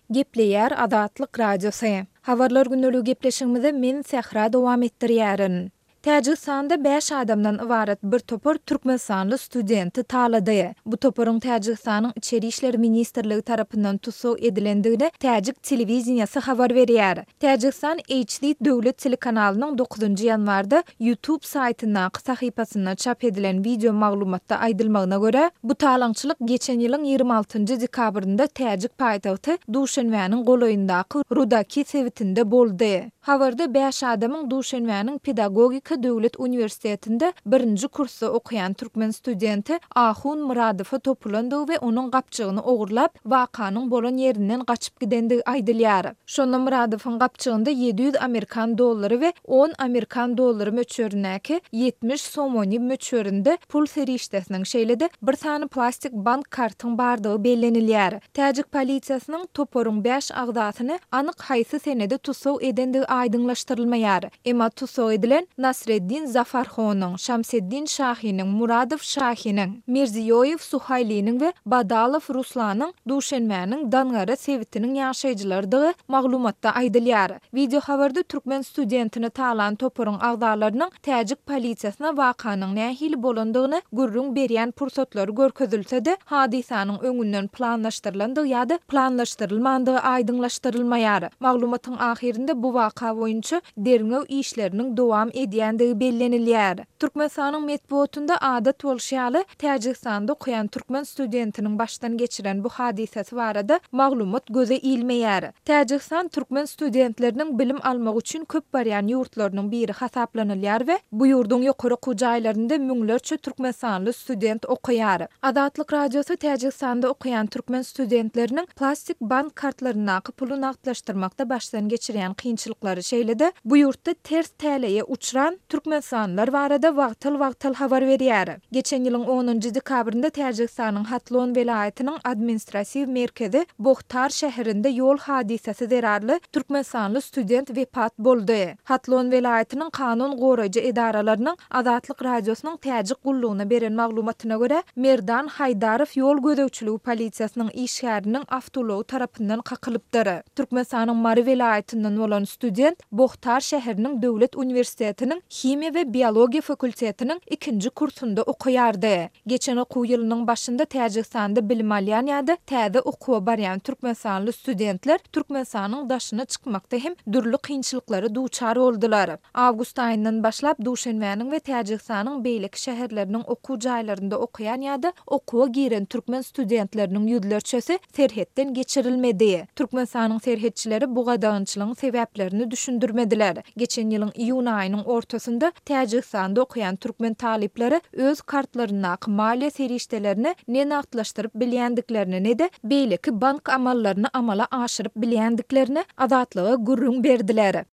Gepleýär Azatlyk Radiosy. Habarlar gündeligi gepleşigimizi men Sähra dowam etdirýärin. Täjigistanda bäş adamdan ybarat bir topar türkmenistanly studenti talady. Bu toparyň Täjigistanyň Içeri işler ministrligi tarapyndan tussag edilendigini täjik telewideniýesi habar berýär. Täjigistan HD döwlet telekanalynyň dokuzynjy ýanwarda YouTube saýtyndaky sahypasynda çap edilen wideo maglumatda aýdylmagyna görä, bu talaňçylyk geçen ýylyň 26-njy dekabrynda täjik paýtagty Duşenbäniň golaýyndaky Rudaki sebitinde boldy. Habarda bäş adamyň Duşenbäniň Pedagogika döwlet uniwersitetinde birinji kursda okaýan türkmen studenti Ahun Myradowa topulandygy we onuň gapjygyny ogurlap, wakanyň bolan ýerinden gaçyp gidendigi aýdylýar. Şonda Myradowyň gapjygynda 700 amerikan dollary we on amerikan dollary möçberindäki 70 somoni möçberinde pul serişdesiniň, şeýle-de bir sany plastik bank kartyň bardygy bellenilýär. Täjik polisiýasynyň toparyň bäş agzasyny anyk haýsy senede tussag edendigi aýdyňlaşdyrylmaýar. Emma tussag edilen Nasreddin Zafarhonyň, Şamseddin Şahiniň, Muradow Şahiniň, Mirziýoýew Suhaýliniň we Badalow Ruslanyň Duşenbäniň Dangara sebitiniň ýaşaýjylarydygy maglumatda aýdylýar. Wideohabarda türkmen studentini talan toparyň agzalarynyň täjik polisiýasyna wakanyň nähili bolandygyny gürrüň berýän pursatlary görkezilse-de, hadysanyň öňünden planlaşdyrylandygy ýa-da planlaşdyrylmandygy aýdyňlaşdyrylmaýar. Maglumatyň ahyrynda bu waka boýunça derňew işleriniň dowam edýändigi bellenilýär. Türkmenistanyň metbugatynda adat bolşy ýaly, Täjigistanda okaýan türkmen studentiniň başdan geçiren bu hadysasy barada maglumat göze ilmeýär. Täjigistan türkmen studentleriniň bilim almak üçin köp barýan ýurtlarynyň biri hasaplanylýar we bu ýurduň ýokary okuw jaýlarynda müňlerçe türkmenistanly student okaýar. Azatlyk Radiosy Täjigistanda okaýan türkmen studentleriniň plastik bank kartlaryndaky puly nagtlaşdyrmakda başdan geçirýän kynçylyklary, şeýle-de bu ýurtda ters täleýe uçran türkmenistanlylar barada wagtal-wagtal habar berýär. Geçen ýylyň onunjy dekabrynda Täjigistanyň Hatlon welaýatynyň administrasiw merkezi Bohtar şäherinde ýol hadysasy zerarly türkmenistanly student wepat boldy. Hatlon welaýatynyň kanun goraýjy edaralarynyň Azatlyk Radiosynyň Täjik gullugyna beren maglumatyna görä, Merdan Haýdarow ýol gözegçiligi polisiýasynyň işgäriniň awtoulagy tarapyndan kakylypdyr. Türkmenistanyň Mary welaýatyndan bolan student Bohtar şäheriniň döwlet uniwersitetiniň himiýa we biologiýa fakultetiniň ikinji kursunda okaýardy. Geçen okuw ýylynyň başynda Täjigistanda bilim alýan ýa-da täze okuwa barýan türkmenistanly studentler Türkmenistanyň daşyna çykmakda hem dürli kynçylyklara duçar boldular. Awgust aýyndan başlap Duşenbäniň we Täjigistanyň beýleki şäherleriniň okuw jaýlarynda okaýan ýa-da okuwa giren türkmen studentleriniň ýüzlerçesi serhetden geçirilmedi. Türkmenistanyň serhetçileri bu gadagançylygyň sebäplerini düşündirmediler. Geçen ýylyň iýun aýynyň ortasynda Täjigistanda okaýan türkmen talyplary öz kartlaryndaky maliýe serişdelerini ne nagtlaşdyryp bilýändiklerini, ne-de beýleki bank amallaryny amala aşyryp bilýändiklerini Azatlyga gürrüň berdiler.